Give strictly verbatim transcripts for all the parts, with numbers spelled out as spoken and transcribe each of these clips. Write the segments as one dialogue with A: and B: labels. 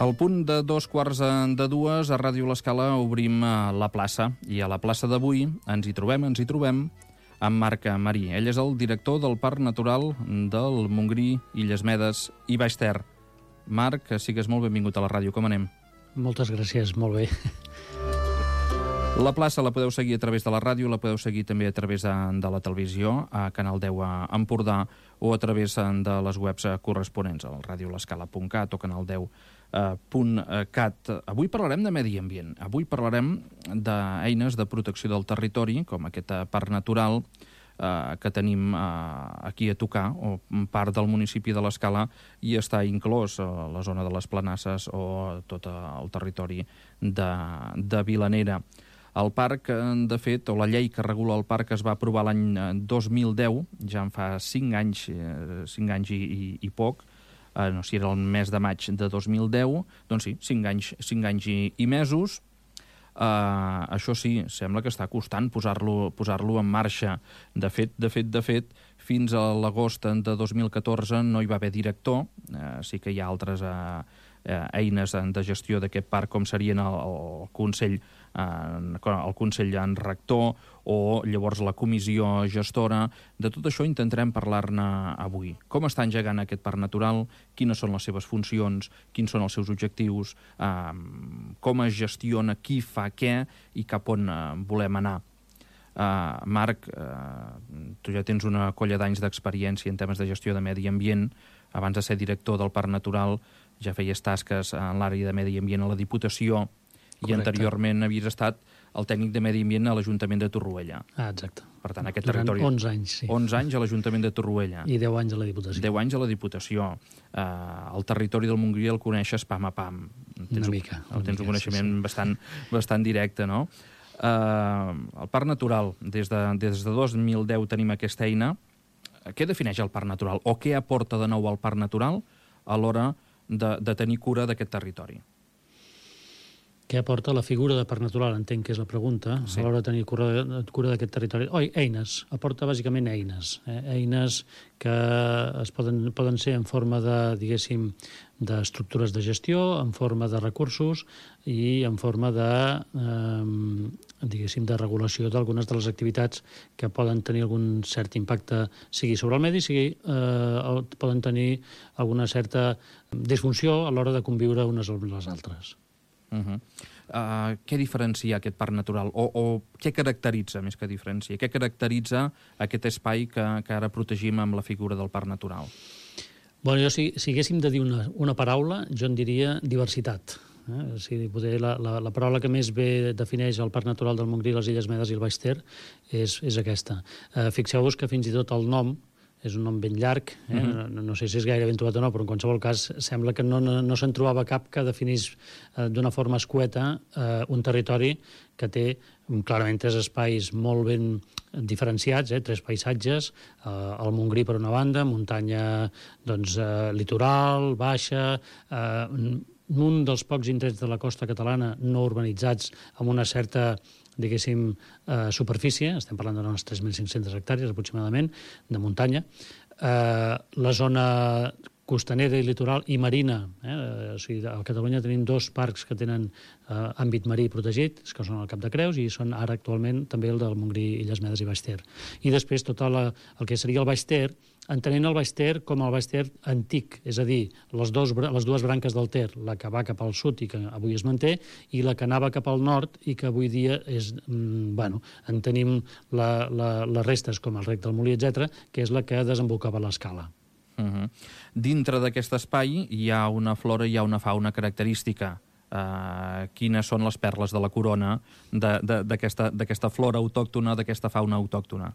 A: Al punt de dos quarts de dues, a Ràdio L'Escala obrim la plaça. I a la plaça d'avui ens hi trobem, ens hi trobem amb Marc Marí. Ell és el director del Parc Natural del Montgrí, Illes Medes i Baix Ter. Marc, sigues molt benvingut a la ràdio. Com anem?
B: Moltes gràcies, molt bé.
A: La plaça la podeu seguir a través de la ràdio, la podeu seguir també a través de, de la televisió, a Canal deu a Empordà, o a través de les webs corresponents, al radiolescala punt cat o canal deu punt cat. Avui parlarem de medi ambient. Avui parlarem d'eines de protecció del territori, com aquest parc natural eh, que tenim eh, aquí a tocar, o part del municipi de l'Escala, i està inclòs a la zona de les Planasses o tot el territori de, de Vilanera. El parc, de fet, o la llei que regula el parc es va aprovar l'any dos mil deu, ja en fa cinc anys, cinc anys i, i, i poc, eh, no sé si era el mes de maig de dos mil deu, doncs sí, cinc anys, cinc anys i, i mesos. Eh, això sí, sembla que està costant posar-lo posar-lo en marxa. De fet, de fet, de fet, fins a l'agost de dos mil catorze no hi va haver director, eh, sí que hi ha altres eh, eh, eines de gestió d'aquest parc, com serien el, el Consell el Consell en Rector o llavors la comissió gestora. De tot això intentarem parlar-ne avui. Com està engegant aquest parc natural, quines són les seves funcions, quins són els seus objectius, eh, com es gestiona, qui fa què i cap on eh, volem anar. Uh, Marc, uh, tu ja tens una colla d'anys d'experiència en temes de gestió de medi ambient. Abans de ser director del Parc Natural ja feies tasques en l'àrea de medi ambient a la Diputació. Correcte. I anteriorment havies estat el tècnic de medi ambient a l'Ajuntament de Torroella.
B: Ah, exacte.
A: Per tant, aquest
B: Durant
A: territori...
B: onze anys, sí.
A: onze anys a l'Ajuntament de Torroella.
B: I deu anys a la Diputació.
A: deu anys a la Diputació. Uh, el territori del Montgrí el coneixes pam a pam. Tens
B: una mica.
A: Un, tens
B: mica,
A: un coneixement
B: sí, sí.
A: bastant, bastant directe, no? Uh, el Parc Natural, des de, des de dos mil deu tenim aquesta eina. Què defineix el Parc Natural? O què aporta de nou al Parc Natural a l'hora de, de tenir cura d'aquest territori?
B: Què aporta la figura de parc natural, entenc que és la pregunta, sí. A l'hora de tenir cura, cura d'aquest territori. Oi, eines, aporta bàsicament eines. Eh? Eines que es poden, poden ser en forma de, diguéssim, d'estructures de gestió, en forma de recursos i en forma de, eh, diguéssim, de regulació d'algunes de les activitats que poden tenir algun cert impacte, sigui sobre el medi, sigui eh, poden tenir alguna certa disfunció a l'hora de conviure unes amb les altres.
A: Uh -huh. uh, què diferencia aquest parc natural? O, o què caracteritza, més que diferencia? Què caracteritza aquest espai que, que ara protegim amb la figura del parc natural?
B: Bueno, jo, si, si haguéssim de dir una, una paraula, jo en diria diversitat. Eh? O sigui, poder, la, la, la paraula que més bé defineix el Parc Natural del Montgrí, les Illes Medes i el Baix Ter és, és aquesta. Eh, fixeu-vos que fins i tot el nom és un nom ben llarg, eh? uh-huh. no, no sé si és gaire ben trobat o no, però en qualsevol cas sembla que no, no, no se'n trobava cap que definís eh, d'una forma escueta eh, un territori que té clarament tres espais molt ben diferenciats, eh? tres paisatges, eh, el Montgrí per una banda, muntanya doncs, eh, litoral, baixa, eh, un dels pocs indrets de la costa catalana no urbanitzats amb una certa diguéssim, eh, superfície, estem parlant d'unes tres mil cinc-centes hectàrees aproximadament, de muntanya. Eh, la zona costanera i litoral i marina, eh? O sigui, a Catalunya tenim dos parcs que tenen eh, àmbit marí protegit, que són el Cap de Creus i són ara actualment també el del Montgrí, Illes Medes i Baix Ter. I després tot la, el que seria el Baix Ter, entenent el Baix Ter com el Baix Ter antic, és a dir, les, dos, les dues branques del Ter, la que va cap al sud i que avui es manté, i la que anava cap al nord i que avui dia és, mm, bueno, en tenim la, la, les restes com el Rec del Molí, etcètera, que és la que desembocava l'Escala.
A: Uh-huh. Dintre d'aquest espai hi ha una flora i hi ha una fauna característica. Uh, quines són les perles de la corona d'aquesta flora autòctona, d'aquesta fauna autòctona?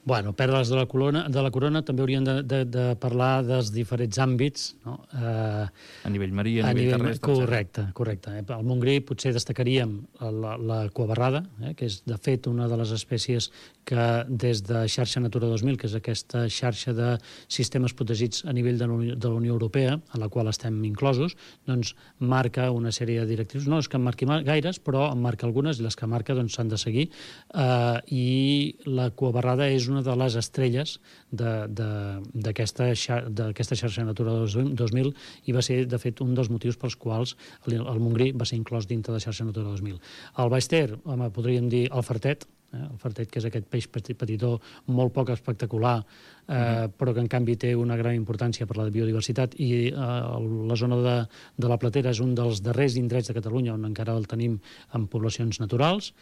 B: Bueno, perles de la corona, de la corona també hauríem de, de, de parlar dels diferents àmbits, no? Eh,
A: a nivell marí, a, a nivell, nivell terrestre.
B: Correcte, correcte. Al Montgrí potser destacaríem la, la cuabarrada, eh, que és de fet una de les espècies que des de xarxa Natura dos mil, que és aquesta xarxa de sistemes protegits a nivell de la Unió Europea, en la qual estem inclosos, doncs marca una sèrie de directrius. No és que en marqui gaires, però en marca algunes, i les que marca doncs s'han de seguir. Eh, I la cuabarrada és una de les estrelles d'aquesta xarxa Natura dos mil i va ser, de fet, un dels motius pels quals el, el Montgrí va ser inclòs dintre de la xarxa Natura dos mil. El Baix Ter, home, podríem dir el Fartet, eh? el Fartet, que és aquest peix petitó molt poc espectacular, eh, uh-huh. però que en canvi té una gran importància per la biodiversitat, i eh, la zona de, de la Platera és un dels darrers indrets de Catalunya on encara el tenim en poblacions naturals.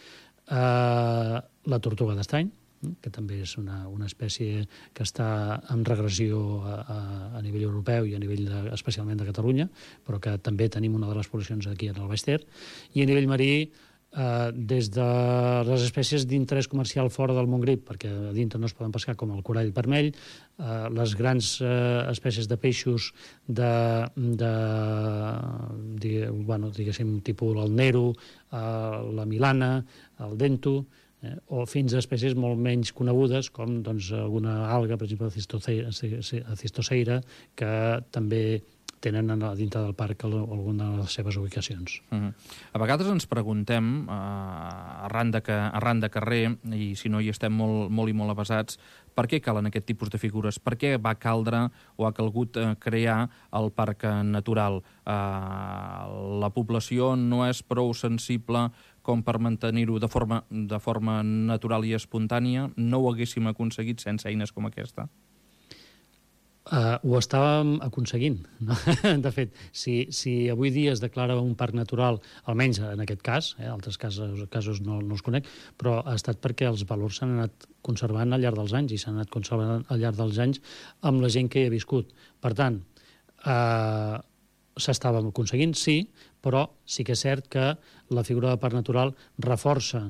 B: Eh, la tortuga d'estany, que també és una, una espècie que està en regressió a, a, a nivell europeu i a nivell de, especialment de Catalunya, però que també tenim una de les poblacions aquí en el Baix Ter. I a nivell marí, eh, des de les espècies d'interès comercial fora del Montgrí, perquè a dintre no es poden pescar, com el corall vermell, eh, les grans eh, espècies de peixos de, de digue, bueno, diguéssim, tipus el nero, eh, la milana, el dento, Eh, o fins a espècies molt menys conegudes, com doncs, alguna alga, per exemple, la cistoseira, que també tenen a dintre del parc alguna de les seves ubicacions.
A: Uh-huh. A vegades ens preguntem, uh, arran, de que, arran de carrer, i si no hi estem molt, molt i molt avasats, per què calen aquest tipus de figures? Per què va caldre o ha calgut uh, crear el parc natural? Uh, la població no és prou sensible com per mantenir-ho de forma, de forma natural i espontània? No ho haguéssim aconseguit sense eines com aquesta?
B: Uh, ho estàvem aconseguint. No? De fet, si, si avui dia es declara un parc natural, almenys en aquest cas, eh, altres casos, casos no, no els conec, però ha estat perquè els valors s'han anat conservant al llarg dels anys i s'han anat conservant al llarg dels anys amb la gent que hi ha viscut. Per tant, eh, s'estàvem aconseguint, sí, però sí que és cert que la figura de parc natural reforça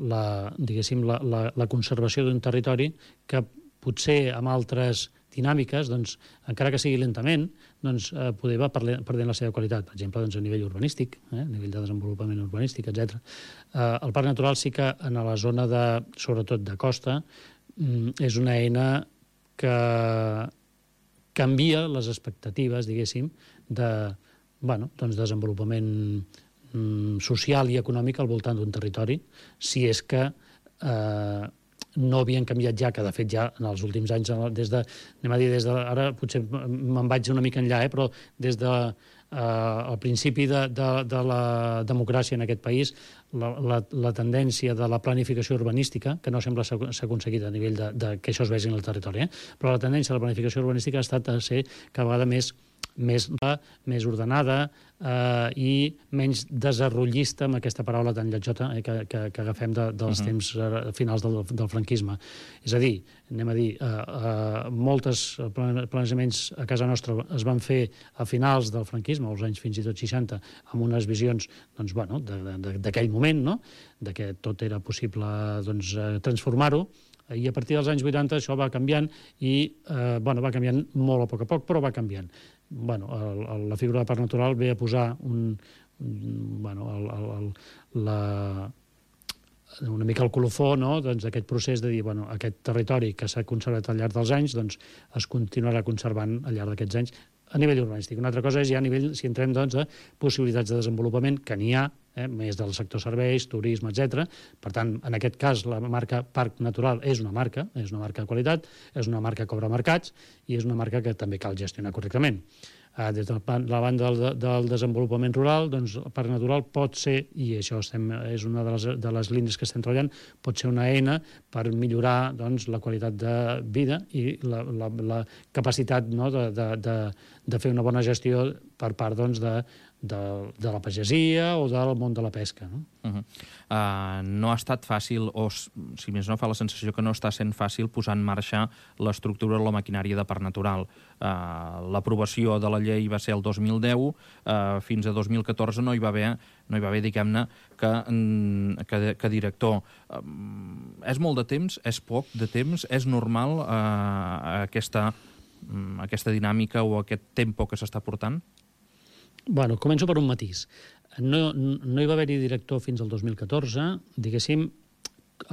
B: la, diguéssim, la, la, la conservació d'un territori que potser amb altres dinàmiques, doncs, encara que sigui lentament, doncs, eh, poder va perdent la seva qualitat, per exemple, doncs, a nivell urbanístic, eh, a nivell de desenvolupament urbanístic, etcètera. Eh, el parc natural sí que en la zona, de, sobretot de costa, mm, és una eina que canvia les expectatives, diguéssim, de bueno, doncs desenvolupament mm, social i econòmic al voltant d'un territori, si és que eh, no havien canviat ja, que de fet ja en els últims anys, des de, anem a dir, des de, ara potser me'n vaig una mica enllà, eh, però des de eh, al principi de, de, de la democràcia en aquest país, la, la, la tendència de la planificació urbanística, que no sembla s'ha aconseguit a nivell de, de que això es vegi en el territori, eh, però la tendència de la planificació urbanística ha estat a ser cada vegada més més, més ordenada eh, i menys desarrollista, amb aquesta paraula tan lletjota eh, que, que, que agafem de, dels uh-huh. temps eh, finals del, del franquisme. És a dir, anem a dir, eh, eh, molts planejaments a casa nostra es van fer a finals del franquisme, als anys fins i tot seixanta, amb unes visions doncs, bueno, d'aquell moment, no? De que tot era possible doncs, transformar-ho, i a partir dels anys vuitanta això va canviant i eh, bueno, va canviant molt a poc a poc, però va canviant. Bueno, el, el, la figura de parc natural ve a posar un, un, bueno, el, el, el, la, una mica el colofó, no? Doncs, d'aquest procés de dir, bueno, aquest territori que s'ha conservat al llarg dels anys doncs, es continuarà conservant al llarg d'aquests anys a nivell urbanístic. Una altra cosa és ja a nivell, si entrem doncs, a possibilitats de desenvolupament, que n'hi ha, eh, més del sector serveis, turisme, etcètera. Per tant, en aquest cas, la marca Parc Natural és una marca, és una marca de qualitat, és una marca que obre mercats i és una marca que també cal gestionar correctament. Eh, des de la banda del, del desenvolupament rural, doncs el Parc Natural pot ser, i això estem, és una de les, de les línies que estem treballant, pot ser una eina per millorar doncs, la qualitat de vida i la, la, la capacitat no, de, de, de, de fer una bona gestió per part doncs, de, de, de la pagesia o del món de la pesca. No?
A: Uh-huh. uh, no ha estat fàcil, o si més no fa la sensació que no està sent fàcil posar en marxa l'estructura o la maquinària de Parc Natural. Uh, L'aprovació de la llei va ser el dos mil deu, uh, fins a dos mil catorze no hi va haver, no hi va haver diguem-ne, que, que, que director. Uh, és molt de temps? És poc de temps? És normal uh, aquesta, um, aquesta dinàmica o aquest tempo que s'està portant?
B: Bueno, començo per un matís. No, no hi va haver-hi director fins al dos mil catorze, diguéssim,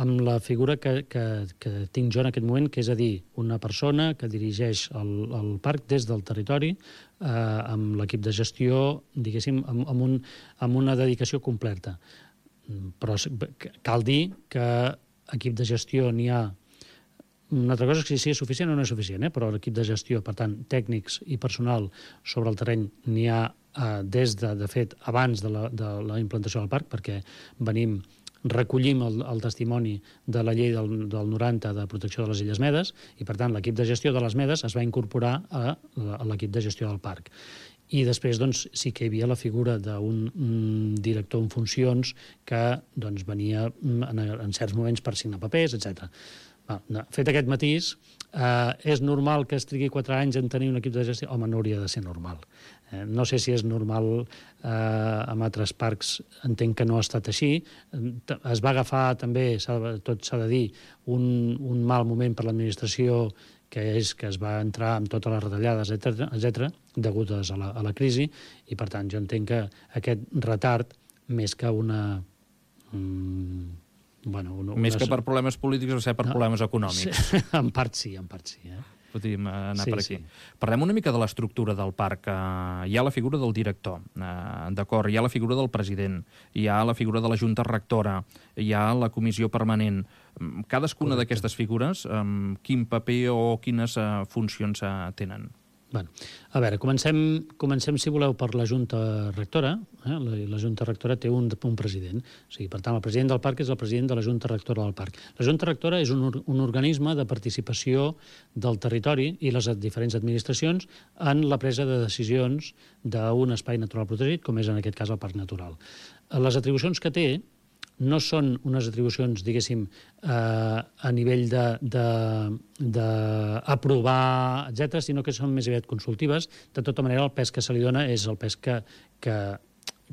B: amb la figura que, que, que tinc jo en aquest moment, que és a dir, una persona que dirigeix el, el parc des del territori, eh, amb l'equip de gestió, diguéssim, amb, amb, un, amb una dedicació completa. Però cal dir que equip de gestió n'hi ha una altra cosa és si és suficient o no és suficient, eh? Però l'equip de gestió, per tant, tècnics i personal sobre el terreny n'hi ha eh, des de, de fet, abans de la, de la implantació del parc, perquè venim recollim el, el testimoni de la llei del, del noranta de protecció de les Illes Medes i, per tant, l'equip de gestió de les Medes es va incorporar a, a l'equip de gestió del parc. I després doncs, sí que hi havia la figura d'un mm, director en funcions que doncs, venia en, en certs moments per signar papers, etcètera. Fet aquest matís, eh, és normal que es trigui quatre anys en tenir un equip de gestió? Home, no hauria de ser normal. Eh, no sé si és normal eh, amb altres parcs, entenc que no ha estat així. Es va agafar també, tot s'ha de dir, un, un mal moment per l'administració, que és que es va entrar amb totes les retallades, etcètera, degudes a la, a la crisi, i per tant jo entenc que aquest retard, més que una... Mm, Bueno, una,
A: Més
B: una...
A: que per problemes polítics, o sigui, per no, problemes econòmics.
B: Sí, en part sí, en part sí. Eh?
A: Podríem anar sí, per aquí.
B: Sí.
A: Parlem una mica de l'estructura del parc. Hi ha la figura del director, d'acord, hi ha la figura del president, hi ha la figura de la junta rectora, hi ha la comissió permanent. Cadascuna d'aquestes figures, quin paper o quines funcions tenen?
B: Bueno, a veure, comencem, comencem, si voleu, per la Junta Rectora. Eh? La, la Junta Rectora té un, un president. O sigui, per tant, el president del parc és el president de la Junta Rectora del parc. La Junta Rectora és un, un organisme de participació del territori i les diferents administracions en la presa de decisions d'un espai natural protegit, com és en aquest cas el Parc Natural. Les atribucions que té no són unes atribucions, diguéssim, eh, a nivell d'aprovar, etcètera, sinó que són més aviat consultives. De tota manera, el pes que se li dona és el pes que, que,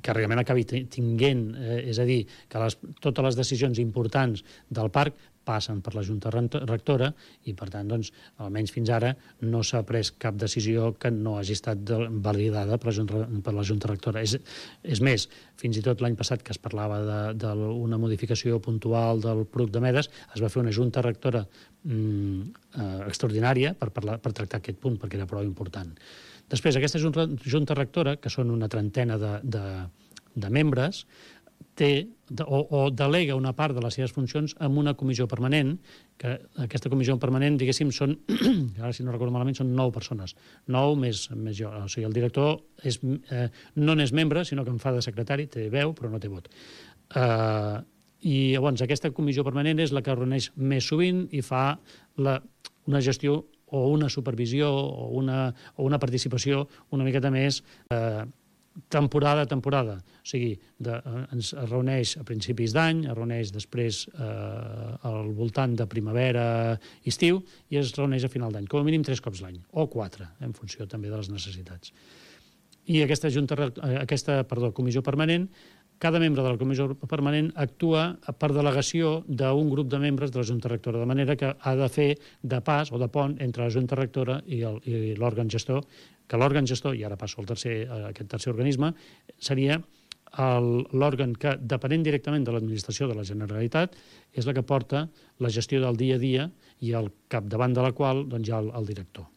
B: que realment acabi tinguent, eh, és a dir, que les, totes les decisions importants del parc passen per la Junta Rectora i, per tant, doncs, almenys fins ara no s'ha pres cap decisió que no hagi estat validada per la Junta, per la Junta Rectora. És, és més, fins i tot l'any passat que es parlava d'una modificació puntual del P R U C de Medes, es va fer una Junta Rectora mm, eh, extraordinària per, parlar, per tractar aquest punt, perquè era prou important. Després, aquesta Junta, junta Rectora, que són una trentena de, de, de membres, té o, o delega una part de les seves funcions en una comissió permanent, que aquesta comissió permanent, diguéssim, són, ara si no recordo malament, són nou persones. Nou més, més jo. O sigui, el director és, eh, no n'és membre, sinó que em fa de secretari, té veu, però no té vot. Eh, I llavors aquesta comissió permanent és la que reuneix més sovint i fa la, una gestió o una supervisió o una, o una participació una miqueta més eh, temporada a temporada. O sigui, de, ens es reuneix a principis d'any, es reuneix després eh, al voltant de primavera-estiu i es reuneix a final d'any, com a mínim tres cops l'any, o quatre, en funció també de les necessitats. I aquesta, junta, aquesta perdó, comissió permanent, cada membre de la comissió permanent actua per delegació d'un grup de membres de la Junta Rectora, de manera que ha de fer de pas o de pont entre la Junta Rectora i l'òrgan gestor, que l'òrgan gestor, i ara passo al tercer, a aquest tercer organisme, seria l'òrgan que, depenent directament de l'administració de la Generalitat, és la que porta la gestió del dia a dia i al capdavant de la qual doncs, hi ha el, el director.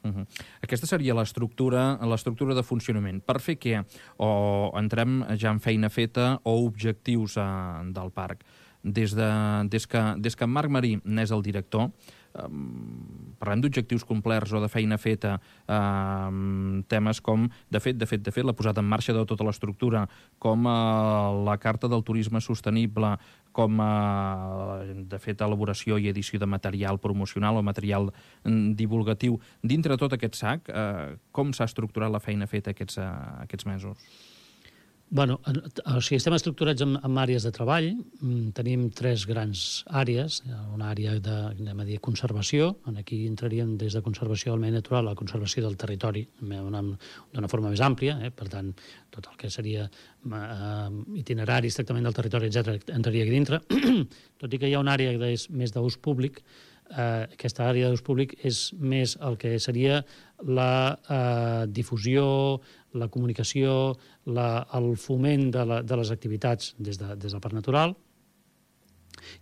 A: Uh-huh. Aquesta seria l'estructura l'estructura de funcionament. Per fer què? O entrem ja en feina feta o objectius eh, del parc. Des, de, des, que, des que en Marc Marí n'és el director, eh, parlem d'objectius complerts o de feina feta, eh, temes com, de fet, de fet, de fet, la posada en marxa de tota l'estructura, com eh, la Carta del Turisme Sostenible, com, eh, de fet, elaboració i edició de material promocional o material divulgatiu. Dintre tot aquest sac, eh, com s'ha estructurat la feina feta aquests, eh, aquests mesos?
B: Bueno, o sigui, estem estructurats en, en àrees de treball. Tenim tres grans àrees. Una àrea de, anem a dir, conservació. Aquí entraríem des de conservació del medi natural a la conservació del territori d'una forma més àmplia. Eh? Per tant, tot el que seria eh, itineraris, tractament del territori, etcètera, entraria aquí dintre. Tot i que hi ha una àrea que és més d'ús públic, eh, aquesta àrea d'ús públic és més el que seria la eh, difusió, la comunicació, la, el foment de, la, de les activitats des, de, des del Parc Natural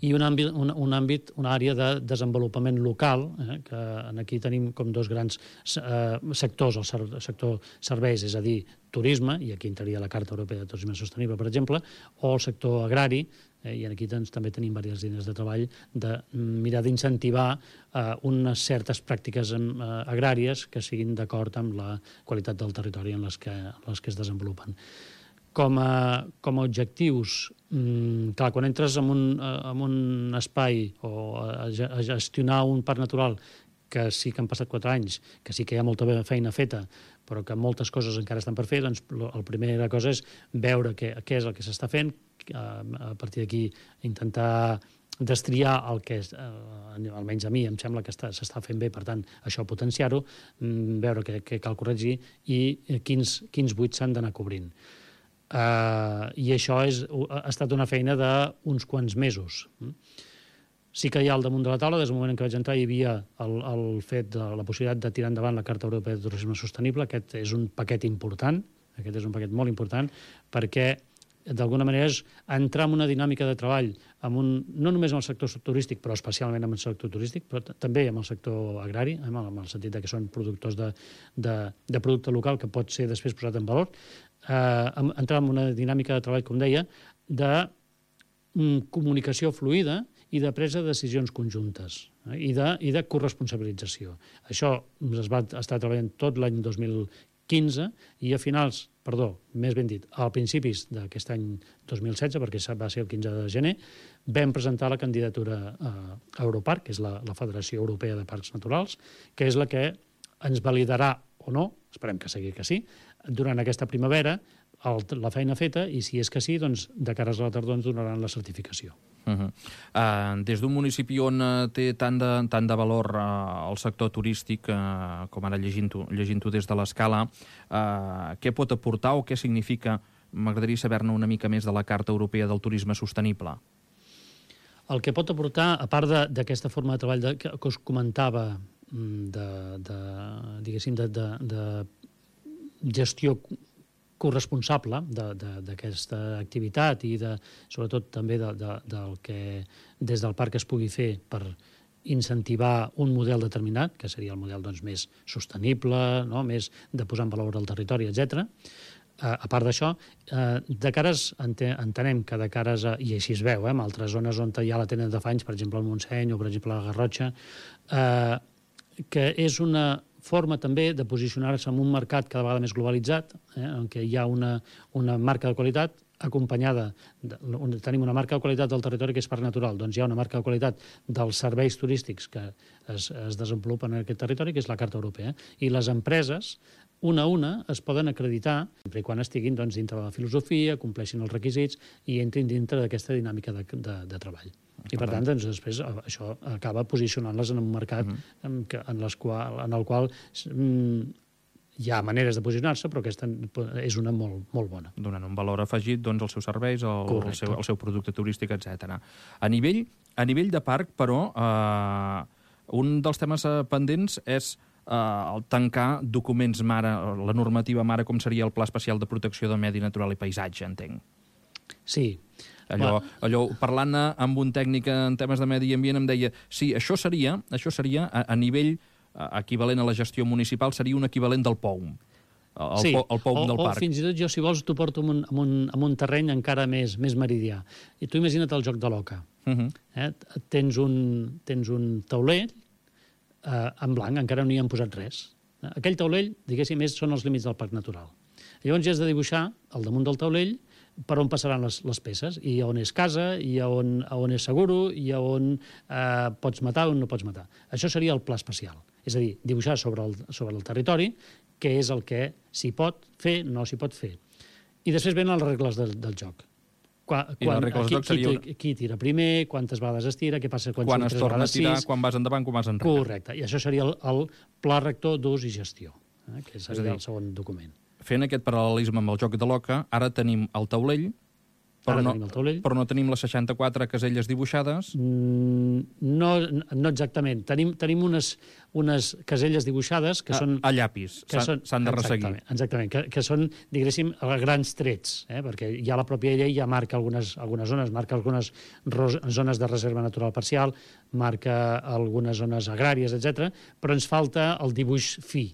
B: i un àmbit, un, un àmbit, una àrea de desenvolupament local, eh, que aquí tenim com dos grans eh, sectors, el sector serveis, és a dir, turisme, i aquí entraria la Carta Europea de Turisme Sostenible, per exemple, o el sector agrari, Eh, I aquí doncs, també tenim diverses línies de treball de mirar d'incentivar eh, unes certes pràctiques eh, agràries que siguin d'acord amb la qualitat del territori en les que, en les que es desenvolupen. Com a, com a objectius, mmm, clar, quan entres en un, en un espai o a, a gestionar un parc natural que sí que han passat quatre anys, que sí que hi ha molta feina feta, però que moltes coses encara estan per fer, doncs la primera cosa és veure què, què és el que s'està fent, a partir d'aquí intentar destriar el que és, eh, almenys a mi em sembla que s'està fent bé, per tant, això potenciar-ho, veure què, què cal corregir i quins, quins buits s'han d'anar cobrint. Uh, I això és, ha estat una feina d'uns quants mesos. Sí que hi ha al damunt de la taula, des del moment en què vaig entrar, hi havia el, el fet de la possibilitat de tirar endavant la Carta Europea de Turisme Sostenible. Aquest és un paquet important, aquest és un paquet molt important, perquè d'alguna manera és entrar en una dinàmica de treball amb un, no només en el sector turístic, però especialment en el sector turístic, però també en el sector agrari, en el sentit que són productors de, de, de producte local que pot ser després posat en valor, eh, entrar en una dinàmica de treball, com deia, de mm, comunicació fluida i de presa de decisions conjuntes eh, i, de, i de corresponsabilització. Això es va estar treballant tot l'any dos mil quinze i a finals, perdó, més ben dit, a principis d'aquest any dos mil setze, perquè va ser el quinze de gener, vam presentar la candidatura a Europarc, que és la, la Federació Europea de Parcs Naturals, que és la que ens validarà o no, esperem que sigui que sí, durant aquesta primavera, el, la feina feta, i si és que sí, doncs, de cara a la tardor ens donaran la certificació.
A: Uh -huh. uh, des d'un municipi on uh, té tant de, tant de valor uh, el sector turístic, uh, com ara llegint-ho llegint des de l'Escala, uh, què pot aportar o què significa? M'agradaria saber-ne una mica més de la Carta Europea del Turisme Sostenible.
B: El que pot aportar, a part d'aquesta forma de treball de, que, que us comentava, de, de, diguéssim, de, de, de gestió corresponsable d'aquesta activitat i de, sobretot també de, de, del que des del parc es pugui fer per incentivar un model determinat, que seria el model doncs, més sostenible, no? Més de posar en valor el territori, etcètera. Uh, a part d'això, uh, de cares, entenem que de cares, a, i així es veu, eh, en altres zones on hi ha la tenda de fanys, per exemple el Montseny o per exemple la Garrotxa, uh, que és una forma també de posicionar-se en un mercat cada vegada més globalitzat, eh, en què hi ha una, una marca de qualitat acompanyada, de, on tenim una marca de qualitat del territori que és parc natural, doncs hi ha una marca de qualitat dels serveis turístics que es, es desenvolupen en aquest territori, que és la Carta Europea, i les empreses, una a una, es poden acreditar, sempre i quan estiguin doncs, dintre de la filosofia, compleixin els requisits i entrin dintre d'aquesta dinàmica de, de, de treball. I per tant, doncs, després això acaba posicionant-les en un mercat uh-huh. en, en, les qual, en el qual mm, hi ha maneres de posicionar-se, però aquesta és una molt, molt bona.
A: Donant un valor afegit doncs, als seus serveis, al, al, seu, al seu producte turístic, etcètera. A nivell, a nivell de parc, però, eh, un dels temes pendents és eh, el tancar documents mare, la normativa mare, com seria el Pla Especial de Protecció del Medi Natural i Paisatge, entenc.
B: Sí.
A: Allò, allò parlant amb un tècnic en temes de medi ambient em deia sí, això seria, això seria a, a nivell equivalent a la gestió municipal, seria un equivalent del P O M, el,
B: sí,
A: po, el P O M
B: o,
A: del
B: o
A: parc.
B: O fins i tot jo, si vols, t'ho porto en un, en, un, en un terreny encara més, més meridià. I tu imagina't el joc de l'oca. Uh -huh. eh? Tens un, tens un taulell eh, en blanc, encara no hi han posat res. Aquell taulell, diguéssim, és, són els límits del parc natural. Llavors ja has de dibuixar, al damunt del taulell, per on passaran les, les peces, i on és casa, i on, on és seguro, i on eh, pots matar o on no pots matar. Això seria el pla especial. És a dir, dibuixar sobre el, sobre el territori què és el que s'hi pot fer, no s'hi pot fer. I després venen les regles del, del joc. Quan,
A: I les regles del joc seria...
B: Qui, qui tira primer, quantes vegades es tira, què passa quan,
A: quan es torna a tirar,
B: sis...
A: quan vas endavant, quan vas enrere.
B: Correcte, i això seria el, el pla rector d'ús i gestió, eh, que seria dir, el segon document.
A: Fent aquest paral·lelisme amb el joc de l'oca, ara tenim el taulell, però, no,
B: el taulell.
A: però no tenim les seixanta-quatre caselles dibuixades.
B: Mm, no, no exactament. Tenim, tenim unes, unes caselles dibuixades que
A: a,
B: són...
A: A llapis, s'han de resseguir.
B: Exactament, exactament que, que són, diguéssim, grans trets, eh? Perquè ja la pròpia llei ja marca algunes, algunes zones, marca algunes zones de reserva natural parcial, marca algunes zones agràries, etcètera, però ens falta el dibuix fi.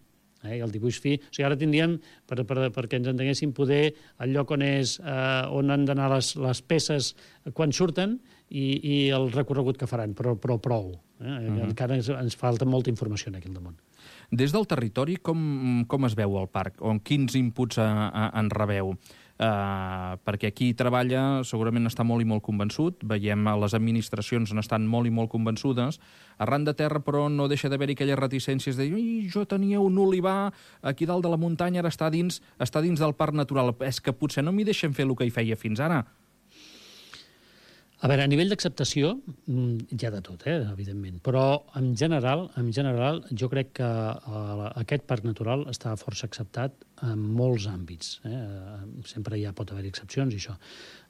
B: Eh? I el dibuix fi... O sigui, ara tindríem, per, per, perquè ens entenguéssim, poder el lloc on, és, eh, on han d'anar les, les peces quan surten i, i el recorregut que faran, però, però prou. Eh? Uh-huh. Encara ens, ens falta molta informació aquí al damunt.
A: Des del territori, com, com es veu el parc? O quins inputs a, a, en rebeu? Uh, perquè aquí treballa, segurament està molt i molt convençut, veiem a les administracions n'estan molt i molt convençudes, arran de terra però no deixa d'haver-hi aquelles reticències de dir, jo tenia un olivar aquí dalt de la muntanya, ara està dins, està dins del parc natural, és que potser no m'hi deixen fer el que hi feia fins ara.
B: A veure, a nivell d'acceptació hi ha de tot, eh, evidentment, però en general, en general jo crec que uh, aquest parc natural està força acceptat en molts àmbits. Eh? Sempre ja pot haver excepcions i això.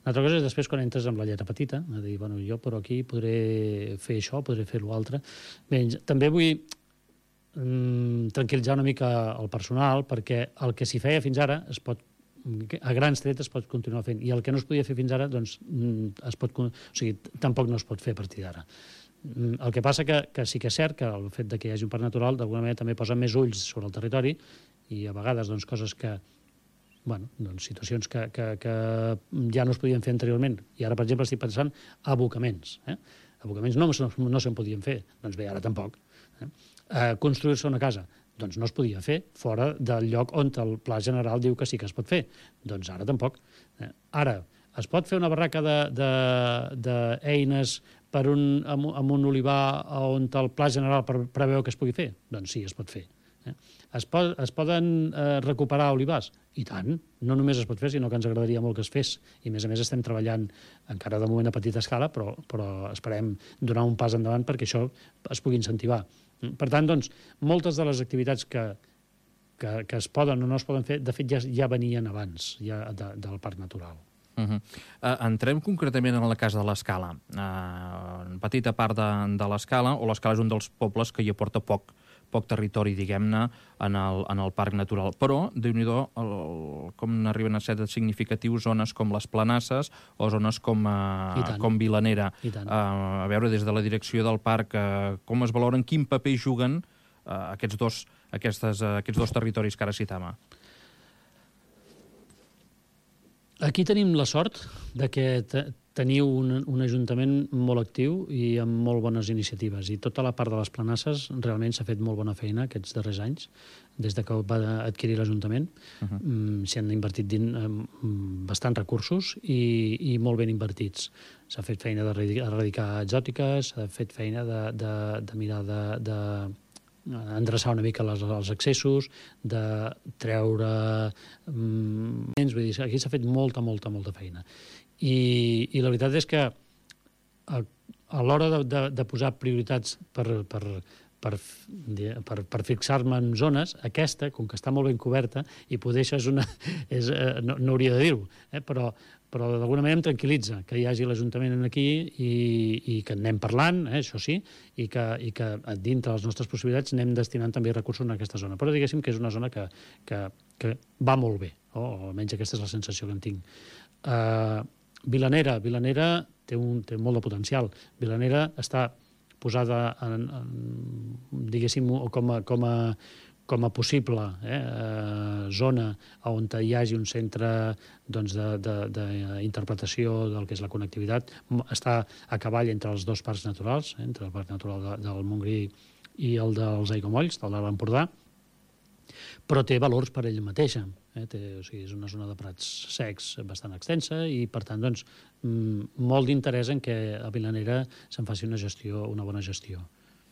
B: Una altra cosa és després quan entres amb la lletra petita, a dir, bueno, jo però aquí podré fer això, podré fer l'altre. Bé, també vull mm, tranquil·litzar una mica el personal perquè el que s'hi feia fins ara es pot a grans trets es pot continuar fent, i el que no es podia fer fins ara, doncs, es pot, o sigui, tampoc no es pot fer a partir d'ara. El que passa que, que sí que és cert que el fet de que hi hagi un parc natural d'alguna manera també posa més ulls sobre el territori i a vegades doncs, coses que, bueno, doncs, situacions que, que, que ja no es podien fer anteriorment. I ara, per exemple, estic pensant abocaments. Eh? Abocaments no, no, no se'n podien fer, doncs bé, ara tampoc. Eh? Eh, construir-se una casa, doncs no es podia fer fora del lloc on el pla general diu que sí que es pot fer. Doncs ara tampoc. Eh? Ara, es pot fer una barraca d'eines per un, amb, amb un olivar on el pla general preveu que es pugui fer? Doncs sí, es pot fer. Eh? Es, pot, es poden eh, recuperar olivars? I tant. No només es pot fer, sinó que ens agradaria molt que es fes. I, a més a més, estem treballant encara de moment a petita escala, però, però esperem donar un pas endavant perquè això es pugui incentivar. Per tant, doncs, moltes de les activitats que, que, que es poden o no es poden fer, de fet, ja, ja venien abans ja de, del parc natural.
A: Uh-huh. uh, entrem concretament en la casa de l'Escala. Uh, en petita part de, de l'Escala, o l'Escala és un dels pobles que hi aporta poc, poc territori, diguem-ne, en, el, en el parc natural. Però, déu-n'hi-do, el, com arriben a ser significatius zones com les Planasses o zones com, uh, com Vilanera. Uh, a veure, des de la direcció del parc, uh, com es valoren, quin paper juguen uh, aquests, dos, aquestes, uh, aquests dos territoris que ara citava?
B: Aquí tenim la sort de que teniu un, un ajuntament molt actiu i amb molt bones iniciatives. I tota la part de les Planasses realment s'ha fet molt bona feina aquests darrers anys, des de que va adquirir l'Ajuntament. Uh-huh. mm, S'hi han invertit din, um, bastants recursos i, i molt ben invertits. S'ha fet feina d'erradicar exòtiques, s'ha fet feina de, de, de mirar de... de endreçar una mica les, els accessos, de treure... Mm, vull dir, aquí s'ha fet molta, molta, molta feina. I, i la veritat és que a, a l'hora de, de, de posar prioritats per, per, per, per, per fixar-me en zones, aquesta, com que està molt ben coberta, i poder això és una... És, no, no hauria de dir-ho, eh? però, però d'alguna manera em tranquil·litza que hi hagi l'Ajuntament aquí i, i que anem parlant, eh, això sí, i que, i que dintre les nostres possibilitats anem destinant també recursos en aquesta zona. Però diguéssim que és una zona que, que, que va molt bé, o almenys aquesta és la sensació que en tinc. Uh, Vilanera, Vilanera té, un, té molt de potencial. Vilanera està posada en, en diguéssim, com a, com a, com a possible eh, zona on hi hagi un centre doncs, d'interpretació de, de, del que és la connectivitat. Està a cavall entre els dos parcs naturals, eh, entre el parc natural de, del Montgrí i el dels Aiguamolls, del de l'Empordà, però té valors per ella mateixa. Eh? Té, o sigui, és una zona de prats secs bastant extensa i, per tant, doncs, molt d'interès en que a Vilanera se'n faci una gestió, una bona gestió.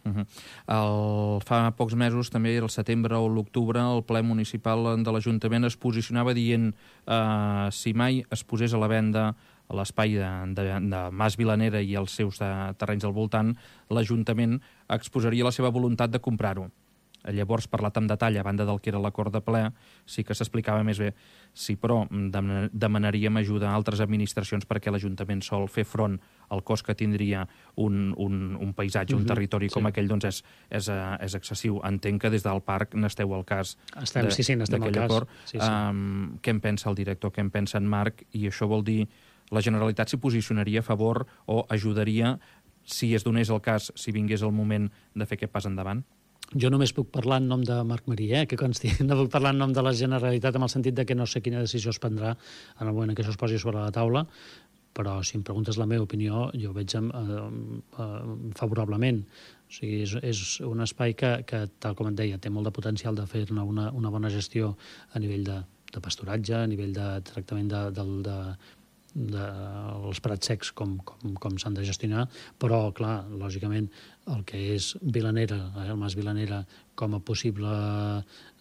A: Uh-huh. el, fa pocs mesos, també el setembre o l'octubre, el ple municipal de l'Ajuntament es posicionava dient eh, si mai es posés a la venda l'espai de, de, de Mas Vilanera i els seus de, terrenys al voltant, l'Ajuntament exposaria la seva voluntat de comprar-ho. Llavors, parlat amb detall, a banda del que era l'acord de ple, sí que s'explicava més bé. Sí, però demanaríem ajuda a altres administracions perquè l'Ajuntament sol fer front al cost que tindria un, un, un paisatge, un territori com aquell, doncs és, és, és excessiu. Entenc que des del parc n'esteu al cas d'aquell acord. Sí, sí. Um, què en pensa el director, què en pensa en Marc? I això vol dir, la Generalitat s'hi posicionaria a favor o ajudaria, si es donés el cas, si vingués el moment de fer aquest pas endavant?
B: Jo només puc parlar en nom de Marc Marí, eh, que consti. No puc parlar en nom de la Generalitat, en el sentit de que no sé quina decisió es prendrà en el moment en què això es posi sobre la taula, però si em preguntes la meva opinió, jo ho veig eh, eh, favorablement. O sigui, és, és un espai que, que, tal com et deia, té molt de potencial de fer-ne una, una bona gestió a nivell de, de pasturatge, a nivell de tractament de, de, de, de els prats secs, com, com, com s'han de gestionar, però, clar, lògicament, el que és Vilanera, eh, el Mas Vilanera, com a possible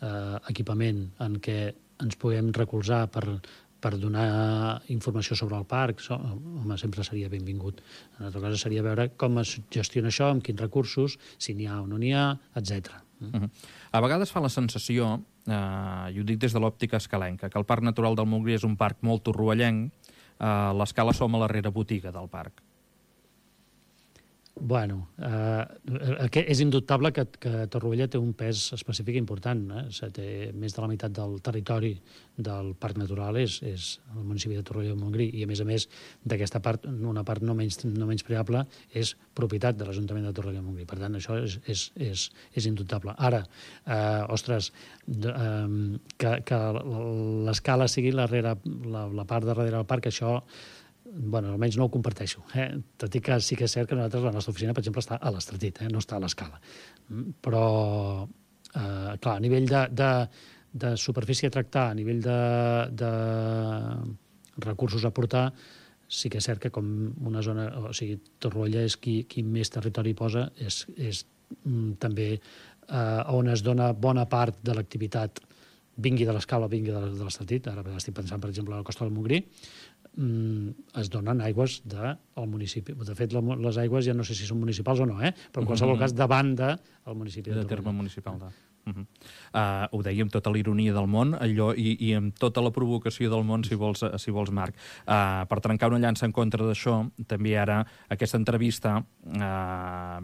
B: eh, equipament en què ens puguem recolzar per, per donar informació sobre el parc, so, home, sempre seria benvingut. Una altra cosa seria veure com es gestiona això, amb quins recursos, si n'hi ha o no n'hi ha, etcètera.
A: Uh-huh. A vegades fa la sensació, eh, i ho dic des de l'òptica escalenca, que el Parc Natural del Montgrí és un parc molt torroellenc, eh, l'Escala som a la darrera botiga del parc.
B: Bueno, eh, és indubtable que, que Torroella té un pes específic important. Eh? O sigui, té més de la meitat del territori del Parc Natural és, és el municipi de Torroella del Montgrí, i a més a més d'aquesta part, una part no menys, no menys preable, és propietat de l'Ajuntament de Torroella del Montgrí. Per tant, això és, és, és, és indubtable. Ara, eh, ostres, de, eh, que, que l'escala sigui la, la, la part de darrere del parc, això... Bueno, almenys no ho comparteixo. Eh? Tot i que sí que és cert que nosaltres, la nostra oficina, per exemple, està a l'Estretit, eh? no està a l'Escala. Però, eh, clar, a nivell de, de, de superfície a tractar, a nivell de, de recursos a portar, sí que és cert que com una zona... O sigui, Torroella és qui, qui més territori posa, és, és mm, també eh, on es dona bona part de l'activitat, vingui de l'Escala o vingui de l'Estretit. Ara estic pensant, per exemple, a la Costa del Montgrí, es donen aigües del municipi. De fet, les aigües ja no sé si són municipals o no, eh? Però en qualsevol cas davant del municipi de,
A: de terme municipal. De... Uh-huh. uh, ho deia amb tota la ironia del món, allò, i, i amb tota la provocació del món, si vols, si vols Marc. Uh, per trencar una llança en contra d'això, també ara aquesta entrevista uh,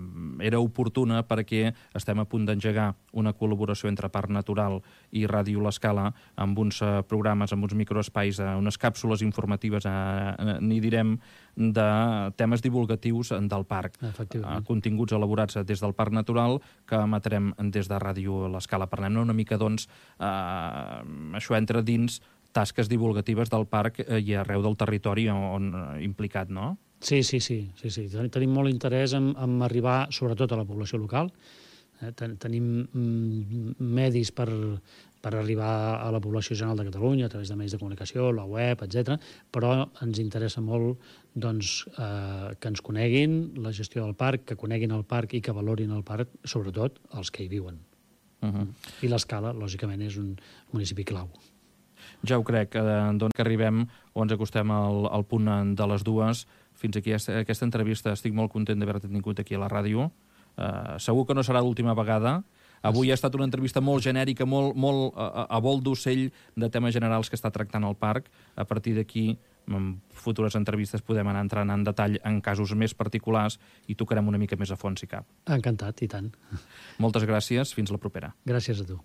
A: era oportuna perquè estem a punt d'engegar una col·laboració entre Parc Natural i Ràdio L'Escala amb uns uh, programes, amb uns microespais, uh, unes càpsules informatives, uh, n'hi direm, de temes divulgatius del parc. Uh, continguts elaborats des del Parc Natural que emetrem des de Ràdio L'Escala. Parlem una mica, doncs, eh, això entra dins tasques divulgatives del parc i arreu del territori on, on implicat, no?
B: Sí, sí, sí. sí, sí. Tenim molt interès en, en arribar, sobretot, a la població local. Eh, ten, tenim mm, medis per, per arribar a la població general de Catalunya, a través de medis de comunicació, la web, etcètera, però ens interessa molt doncs, eh, que ens coneguin la gestió del parc, que coneguin el parc i que valorin el parc, sobretot els que hi viuen. Uh-huh. I l'Escala, lògicament, és un municipi clau.
A: Ja ho crec, eh, doncs que arribem o ens acostem al, al punt de les dues. Fins aquí aquesta entrevista. Estic molt content d'haver-te tingut aquí a la ràdio. Eh, segur que no serà l'última vegada. Avui ha estat una entrevista molt genèrica, molt, molt a, a vol d'ocell de temes generals que està tractant el parc. A partir d'aquí, en futures entrevistes podem anar entrant en detall en casos més particulars i tocarem una mica més a fons, si cap.
B: Encantat, i tant.
A: Moltes gràcies, fins la propera.
B: Gràcies a tu.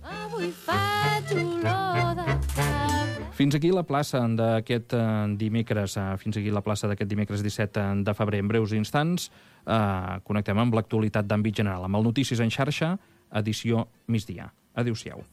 C: Avui faig olor de sable.
A: Fins aquí la plaça d'aquest dimecres, fins aquí la plaça d'aquest dimecres disset de febrer. En breus instants eh, connectem amb l'actualitat d'àmbit general, amb el Notícies en xarxa, edició migdia. Adéu-siau.